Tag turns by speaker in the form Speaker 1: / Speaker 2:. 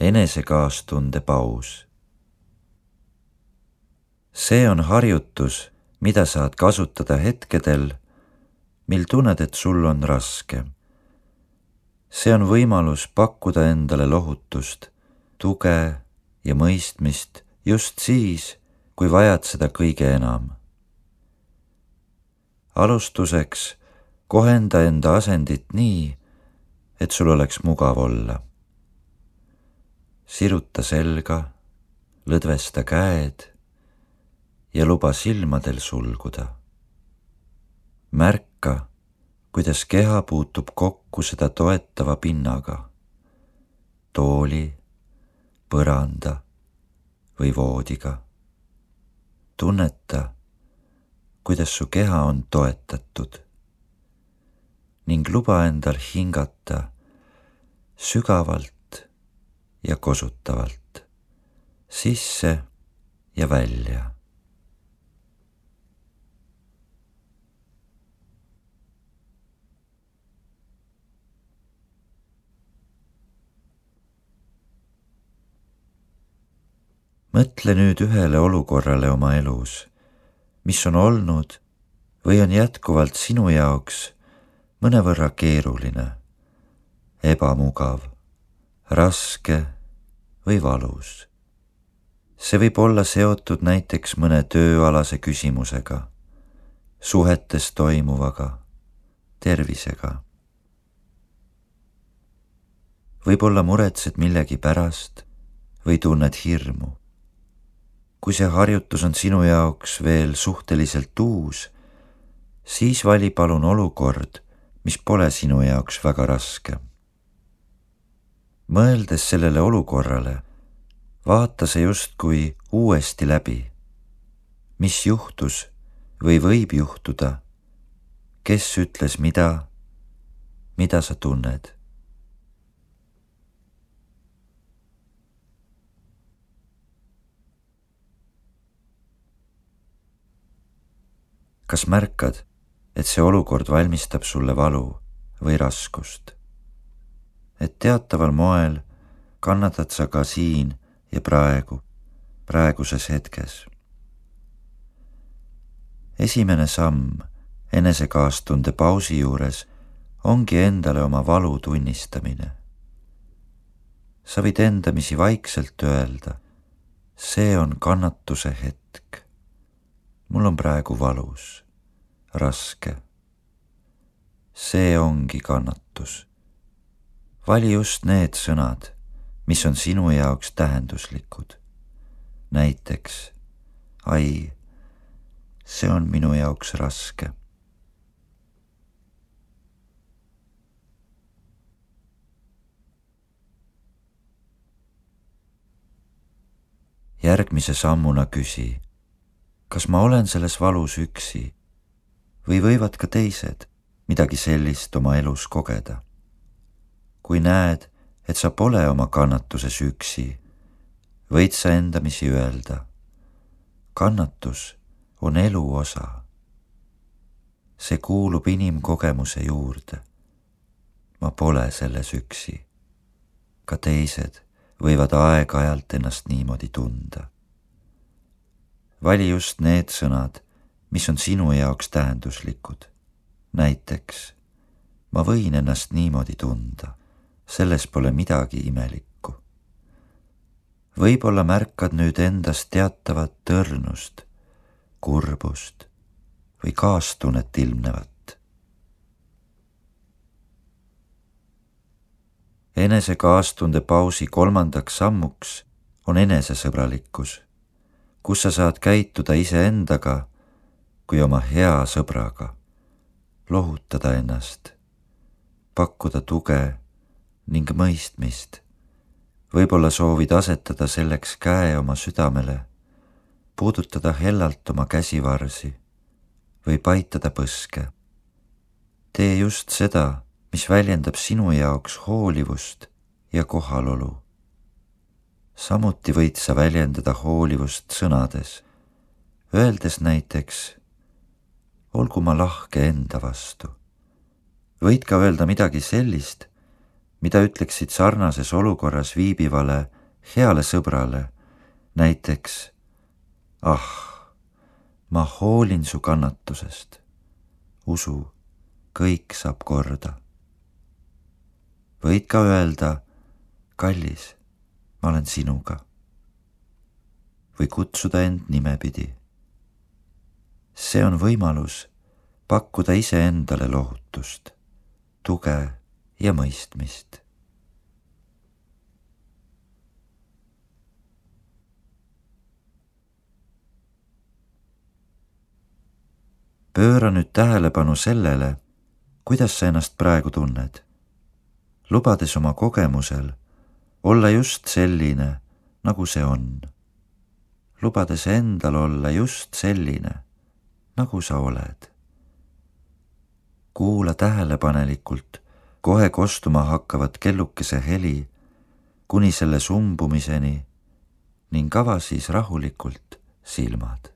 Speaker 1: Enesekaastunde paus. See on harjutus, mida saad kasutada hetkedel, mil tunned, et sul on raske. See on võimalus pakkuda endale lohutust, tuge ja mõistmist just siis, kui vajad seda kõige enam. Alustuseks kohenda enda asendit nii, et sul oleks mugav olla. Siruta selga, lõdvesta käed ja luba silmadel sulguda. Märka, kuidas keha puutub kokku seda toetava pinnaga, tooli, põranda või voodiga. Tunneta, kuidas su keha on toetatud ning luba endal hingata sügavalt ja kosutavalt, sisse ja välja. Mõtle nüüd ühele olukorrale oma elus, mis on olnud või on jätkuvalt sinu jaoks mõnevõrra keeruline, ebamugav, raske või valus. See võib olla seotud näiteks mõne tööalase küsimusega, suhetes toimuvaga, tervisega. Võib-olla muretsed millegi pärast või tunned hirmu. Kui see harjutus on sinu jaoks veel suhteliselt uus, siis vali palun olukord, mis pole sinu jaoks väga raske. Mõeldes sellele olukorrale, vaata see justkui uuesti läbi. Mis juhtus või võib juhtuda? Kes ütles mida sa tunned? Kas märkad, et see olukord valmistab sulle valu või raskust? Et teataval moel kannatad sa ka siin ja praeguses hetkes. Esimene samm enesekaastunde pausi juures ongi endale oma valu tunnistamine. Sa võid endamisi vaikselt öelda, see on kannatuse hetk. Mul on praegu valus, raske. See ongi kannatus. Vali just need sõnad, mis on sinu jaoks tähenduslikud. Näiteks, ai, see on minu jaoks raske. Järgmise sammuna küsi, kas ma olen selles valus üksi või võivad ka teised midagi sellist oma elus kogeda? Kui näed, et sa pole oma kannatuses üksi, võid sa endamisi öelda, kannatus on elu osa. See kuulub inimkogemuse juurde. Ma pole selles üksi. Ka teised võivad aeg-ajalt ennast niimoodi tunda. Vali just need sõnad, mis on sinu jaoks tähenduslikud. Näiteks, ma võin ennast niimoodi tunda. Selles pole midagi imelikku. Võib-olla märkad nüüd endast teatavat tõrnust, kurbust või kaastunnet ilmnevat. Enesekaastunde pausi kolmandaks sammuks on enesesõbralikkus, kus sa saad käituda iseendaga kui oma hea sõbraga, lohutada ennast, pakkuda tuge ning mõistmist. Võib-olla soovid asetada selleks käe oma südamele, puudutada hellalt oma käsivarsi või paitada põske. Tee just seda, mis väljendab sinu jaoks hoolivust ja kohalolu. Samuti võid sa väljendada hoolivust sõnades, öeldes näiteks, olgu ma lahke enda vastu. Võid ka öelda midagi sellist, mida ütleksid sarnases olukorras viibivale heale sõbrale, näiteks ah, ma hoolin su kannatusest, usu, kõik saab korda. Võid ka öelda, kallis, ma olen sinuga. Või kutsuda end nimepidi. See on võimalus pakkuda iseendale lohutust, tuge ja mõistmist. Pööra nüüd tähelepanu sellele, kuidas sa ennast praegu tunned, lubades oma kogemusel olla just selline, nagu see on. Lubades endal olla just selline, nagu sa oled. Kuula tähelepanelikult kohe kostuma hakkavat kellukese heli kuni selle sumbumiseni ning ava siis rahulikult silmad.